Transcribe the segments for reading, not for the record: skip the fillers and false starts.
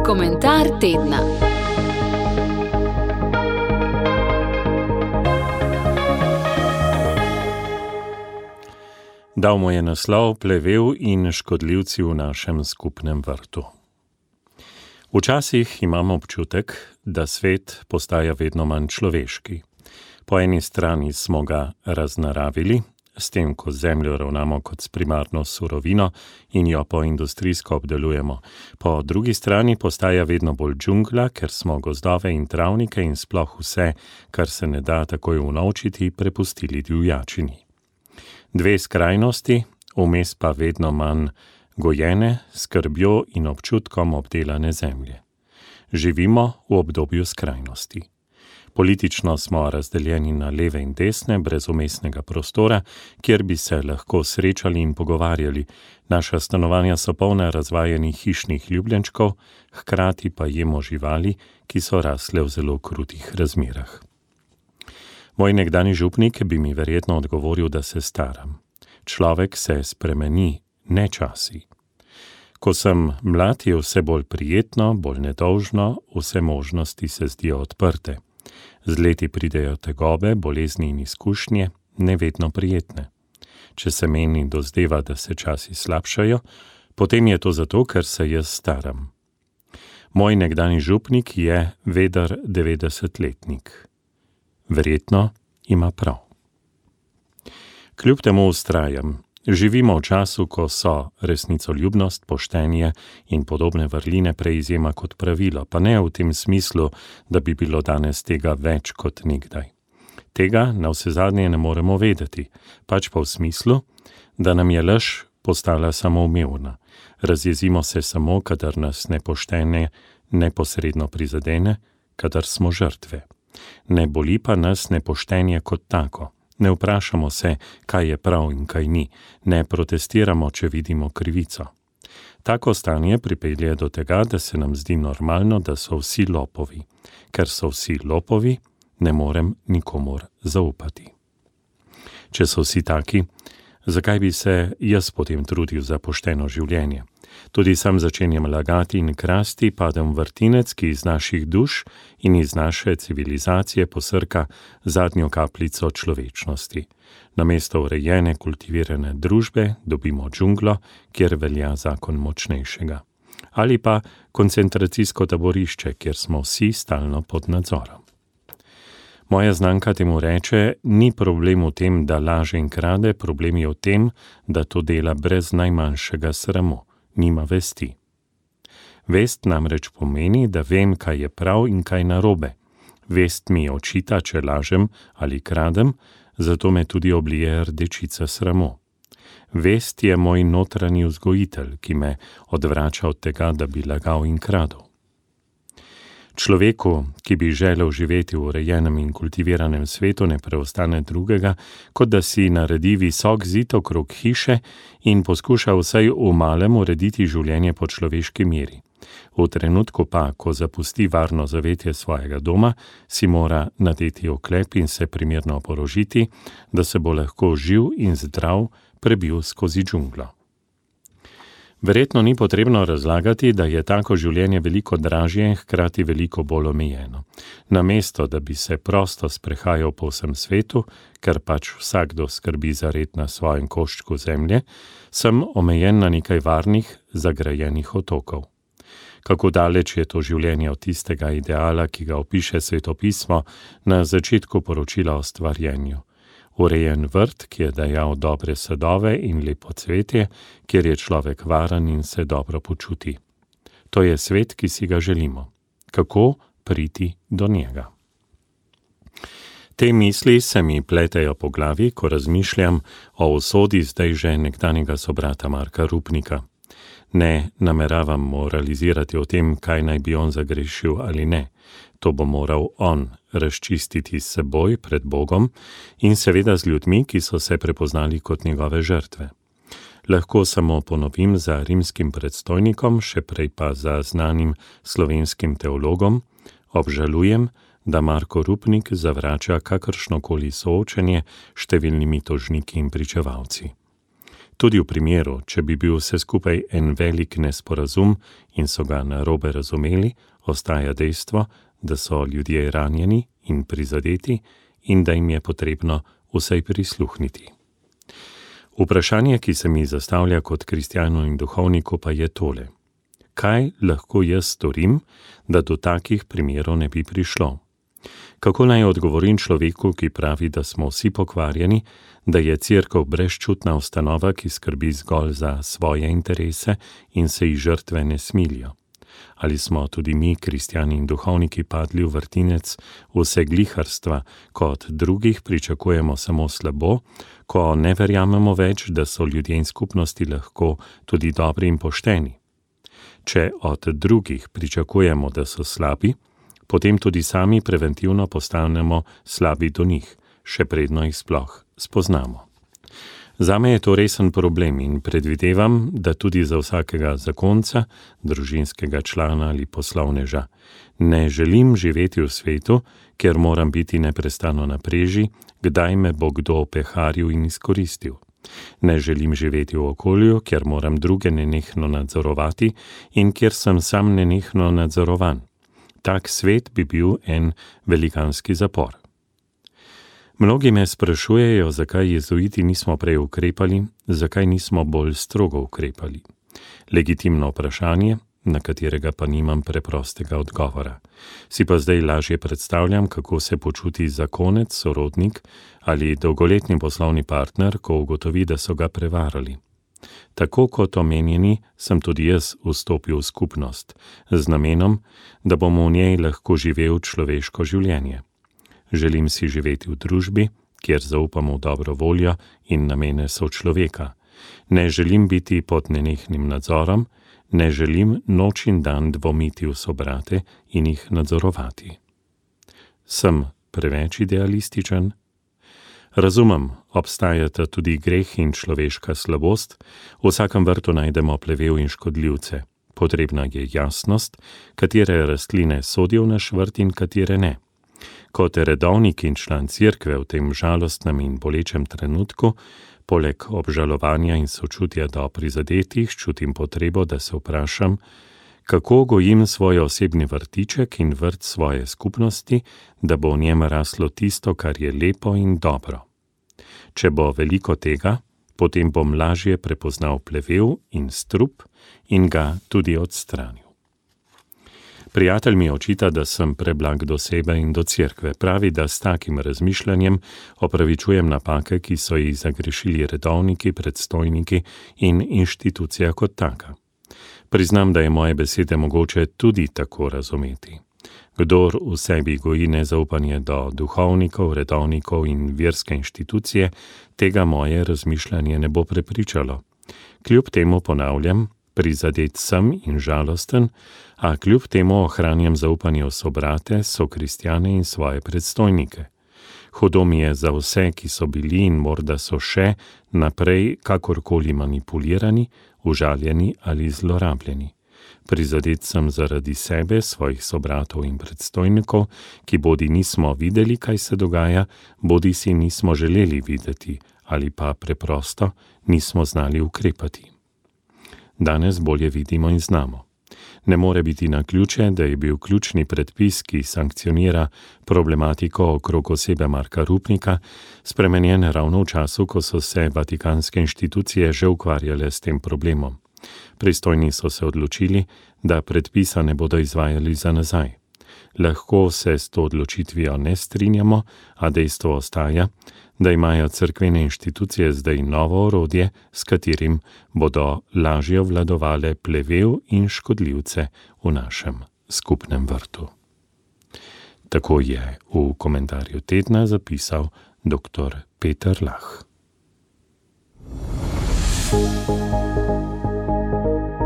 Komentar tedna. Dal mu je naslov Plevel in škodljivci v našem skupnem vrtu. Včasih imam občutek, da svet postaja vedno manj človeški. Po eni strani smo ga raznaravili, s tem, ko zemljo ravnamo kot s primarno surovino in jo poindustrijsko obdelujemo. Po drugi strani postaja vedno bolj džungla, ker smo gozdove in travnike in sploh vse, kar se ne da takoj unovčiti, prepustili divjačini. Dve skrajnosti, vmes pa vedno manj gojene, skrbjo in občutkom obdelane zemlje. Živimo v obdobju skrajnosti. Politično smo razdeljeni na leve in desne, brez vmesnega prostora, kjer bi se lahko srečali in pogovarjali. Naša stanovanja so polna razvajenih hišnih ljubljenčkov, hkrati pa jemo živali, ki so rasle v zelo krutih razmerah. Moj nekdanji župnik bi mi verjetno odgovoril, da se staram. Človek se spremeni, ne časi. Ko sem mlad, je vse bolj prijetno, bolj nedolžno, vse možnosti se zdijo odprte. Z leti pridejo tegobe, bolezni in izkušnje, nevedno prijetne. Če se meni dozdeva, da se časi slabšajo, potem je to zato, ker se jaz staram. Moj nekdanji župnik je veder 90-letnik. Verjetno ima prav. Kljub temu vztrajam. Živimo v času, ko so resnicoljubnost, poštenje in podobne vrline prej izjema kot pravilo, pa ne v tem smislu, da bi bilo danes tega več kot nikdaj. Tega navsezadnje ne moremo vedeti, pač pa v smislu, da nam je laž postala samoumevna. Razjezimo se samo, kadar nas nepoštenje neposredno prizadene, kadar smo žrtve. Ne boli pa nas nepoštenje kot tako. Ne vprašamo se, kaj je prav in kaj ni, ne protestiramo, če vidimo krivico. Tako stanje pripelje do tega, da se nam zdi normalno, da so vsi lopovi. Ker so vsi lopovi, ne morem nikomur zaupati. Če so vsi taki, zakaj bi se jaz potem trudil za pošteno življenje? Tudi sam začenjam lagati in krasti, padem v vrtinec, ki iz naših duš in iz naše civilizacije posrka zadnjo kapljico človečnosti. Namesto urejene, kultivirane družbe dobimo džunglo, kjer velja zakon močnejšega. Ali pa koncentracijsko taborišče, kjer smo vsi stalno pod nadzorom. Moja znanka temu reče, ni problem v tem, da laže in krade, problem je v tem, da to dela brez najmanjšega sramu. Nima vesti. Vest namreč pomeni, da vem, kaj je prav in kaj narobe. Vest mi očita, če lažem ali kradem, zato me tudi oblije rdečica sramu. Vest je moj notranji vzgojitelj, ki me odvrača od tega, da bi lagal in kradel. Človeku, ki bi želel živeti v urejenem in kultiviranem svetu, ne preostane drugega, kot da si naredi visok zid okrog hiše in poskuša vsaj v malem urediti življenje po človeški meri. V trenutku pa, ko zapusti varno zavetje svojega doma, si mora nadeti oklep in se primerno porožiti, da se bo lahko živ in zdrav prebil skozi džunglo. Verjetno ni potrebno razlagati, da je tako življenje veliko dražje in hkrati veliko bolj omejeno. Namesto, da bi se prosto sprehajal po vsem svetu, ker pač vsakdo skrbi za red na svojem koščku zemlje, sem omejen na nekaj varnih, zagrajenih otokov. Kako daleč je to življenje od tistega ideala, ki ga opiše svetopismo na začetku poročila o stvarjenju. Urejen vrt, ki je dajal dobre sadove in lepo cvetje, kjer je človek varen in se dobro počuti. To je svet, ki si ga želimo. Kako priti do njega? Te misli se mi pletejo po glavi, ko razmišljam o usodi zdaj že nekdanjega sobrata Marka Rupnika. Ne nameravam moralizirati o tem, kaj naj bi on zagrešil ali ne. To bo moral on razčistiti s seboj pred Bogom in seveda z ljudmi, ki so se prepoznali kot njegove žrtve. Lahko samo ponovim za rimskim predstojnikom, še prej pa za znanim slovenskim teologom, obžalujem, da Marko Rupnik zavrača kakršnokoli soočenje s številnimi tožniki in pričevalci. Tudi v primeru, če bi bil vse skupaj en velik nesporazum in so ga narobe razumeli, ostaja dejstvo, da so ljudje ranjeni in prizadeti in da jim je potrebno vsaj prisluhniti. Vprašanje, ki se mi zastavlja kot kristjanu in duhovniku, pa je tole. Kaj lahko jaz storim, da do takih primerov ne bi prišlo? Kako naj odgovorim človeku, ki pravi, da smo vsi pokvarjeni, da je Cerkev brezčutna ustanova, ki skrbi zgolj za svoje interese in se ji žrtve ne smilijo? Ali smo tudi mi, kristjani in duhovniki, padli v vrtinec vsegliharstva, ko od drugih pričakujemo samo slabo, ko ne verjamemo več, da so ljudje in skupnosti lahko tudi dobri in pošteni? Če od drugih pričakujemo, da so slabi, potem tudi sami preventivno postanemo slabi do njih, še predno jih sploh spoznamo. Zame je to resen problem in predvidevam, da tudi za vsakega zakonca, družinskega člana ali poslovneža. Ne želim živeti v svetu, kjer moram biti neprestano na preži, kdaj me bo kdo opeharil in izkoristil. Ne želim živeti v okolju, kjer moram druge nenehno nadzorovati in kjer sem sam nenehno nadzorovan. Tak svet bi bil en velikanski zapor. Mnogi me sprašujejo, zakaj jezuiti nismo prej ukrepali, zakaj nismo bolj strogo ukrepali. Legitimno vprašanje, na katerega pa nimam preprostega odgovora. Si pa zdaj lažje predstavljam, kako se počuti zakonec, sorodnik ali dolgoletni poslovni partner, ko ugotovi, da so ga prevarali. Tako kot omenjeni, sem tudi jaz vstopil v skupnost, z namenom, da bomo v njej lahko živel človeško življenje. Želim si živeti v družbi, kjer zaupamo v dobro voljo in namene sočloveka. Ne želim biti pod nenehnim nadzorom, ne želim noč in dan dvomiti v sobrate in jih nadzorovati. Sem preveč idealističen? Razumem, obstajata tudi greh in človeška slabost, v vsakem vrtu najdemo plevel in škodljivce. Potrebna je jasnost, katere rastline sodijo v naš vrt in katere ne. Kot redovnik in član Cerkve v tem žalostnem in bolečem trenutku, poleg obžalovanja in sočutja do prizadetih, čutim potrebo, da se vprašam, kako gojim svoj osebni vrtiček in vrt svoje skupnosti, da bo v njem raslo tisto, kar je lepo in dobro. Če bo veliko tega, potem bom lažje prepoznal plevel in strup in ga tudi odstranil. Prijatelj mi očita, da sem preblag do sebe in do Cerkve. Pravi, da s takim razmišljanjem opravičujem napake, ki so jih zagrešili redovniki, predstojniki in inštitucija kot taka. Priznam, da je moje besede mogoče tudi tako razumeti. Kdor v sebi goji nezaupanje do duhovnikov, redovnikov in verske inštitucije, tega moje razmišljanje ne bo prepričalo. Kljub temu ponavljam, prizadet sem in žalosten, a kljub temu ohranjam zaupanje v sobrate, sokristjane in svoje predstojnike. Hudo mi je za vse, ki so bili in morda so še naprej kakorkoli manipulirani, užaljeni ali zlorabljeni. Prizadet sem zaradi sebe, svojih sobratov in predstojnikov, ki bodi nismo videli, kaj se dogaja, bodi si nismo želeli videti ali pa preprosto nismo znali ukrepati. Danes bolje vidimo in znamo. Ne more biti naključje, da je bil ključni predpis, ki sankcionira problematiko okrog osebe Marka Rupnika, spremenjen ravno v času, ko so se vatikanske inštitucije že ukvarjale s tem problemom. Pristojni so se odločili, da predpisa ne bodo izvajali za nazaj. Lahko se s to odločitvijo ne strinjamo, a dejstvo ostaja, da imajo cerkvene inštitucije zdaj novo orodje, s katerim bodo lažje obvladovale plevel in škodljivce v našem skupnem vrtu. Tako je v komentarju tedna zapisal dr. Peter Lah.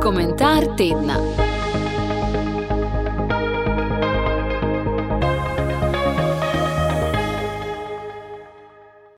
Komentar tedna.